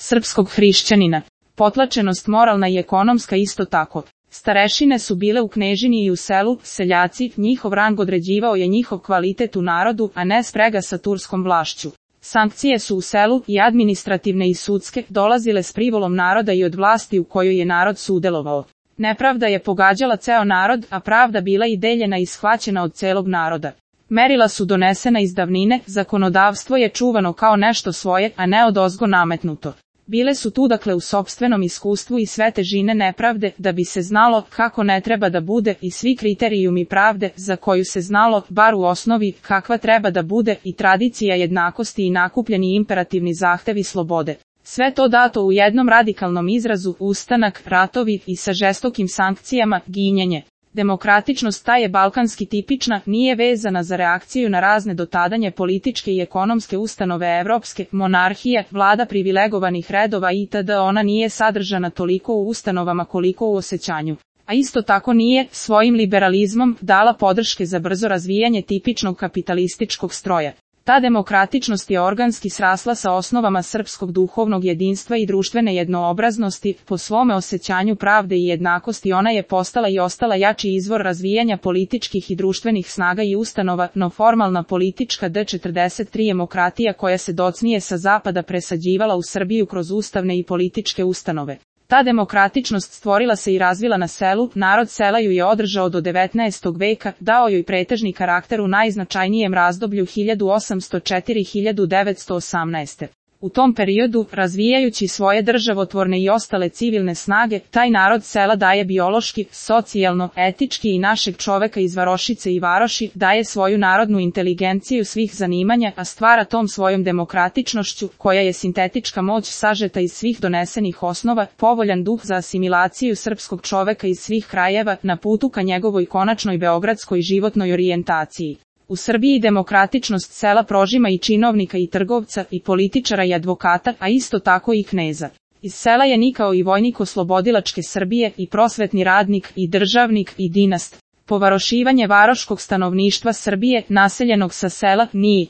srpskog hrišćanina. Potlačenost moralna i ekonomska isto tako. Starešine su bile u knežini i u selu, seljaci, njihov rang određivao je njihov kvalitet u narodu, a ne sprega sa turskom vlašću. Sankcije su u selu, i administrativne i sudske, dolazile s privolom naroda i od vlasti u kojoj je narod sudelovao. Nepravda je pogađala ceo narod, a pravda bila i deljena i shvaćena od celog naroda. Merila su donesena iz davnine, zakonodavstvo je čuvano kao nešto svoje, a ne odozgo nametnuto. Bile su tu dakle u sopstvenom iskustvu i sve težine nepravde, da bi se znalo kako ne treba da bude, i svi kriterijumi pravde, za koju se znalo, bar u osnovi, kakva treba da bude, i tradicija jednakosti i nakupljeni imperativni zahtevi slobode. Sve to dato u jednom radikalnom izrazu, ustanak, ratovi i sa žestokim sankcijama, ginjenje. Demokratičnost ta je balkanski tipična, nije vezana za reakciju na razne dotadanje političke i ekonomske ustanove evropske, monarhije, vlada privilegovanih redova itd. Ona nije sadržana toliko u ustanovama koliko u osećanju. A isto tako nije, svojim liberalizmom, dala podrške za brzo razvijanje tipičnog kapitalističkog stroja. Ta demokratičnost je organski srasla sa osnovama srpskog duhovnog jedinstva i društvene jednoobraznosti, po svome osećanju pravde i jednakosti ona je postala i ostala jači izvor razvijanja političkih i društvenih snaga i ustanova, no formalna politička D43 demokratija koja se docnije sa zapada presađivala u Srbiju kroz ustavne i političke ustanove. Ta demokratičnost stvorila se i razvila na selu, narod sela ju je održao do 19. veka, dao joj pretežni karakter u najznačajnijem razdoblju 1804–1918. U tom periodu, razvijajući svoje državotvorne i ostale civilne snage, taj narod sela daje biološki, socijalno, etički i našeg čoveka iz varošice i varoši, daje svoju narodnu inteligenciju svih zanimanja, a stvara tom svojom demokratičnošću, koja je sintetička moć sažeta iz svih donesenih osnova, povoljan duh za asimilaciju srpskog čoveka iz svih krajeva, na putu ka njegovoj konačnoj beogradskoj životnoj orijentaciji. U Srbiji demokratičnost sela prožima i činovnika i trgovca, i političara i advokata, a isto tako i kneza. Iz sela je nikao i vojnik oslobodilačke Srbije, i prosvetni radnik, i državnik, i dinast. Povarošivanje varoškog stanovništva Srbije, naseljenog sa sela, nije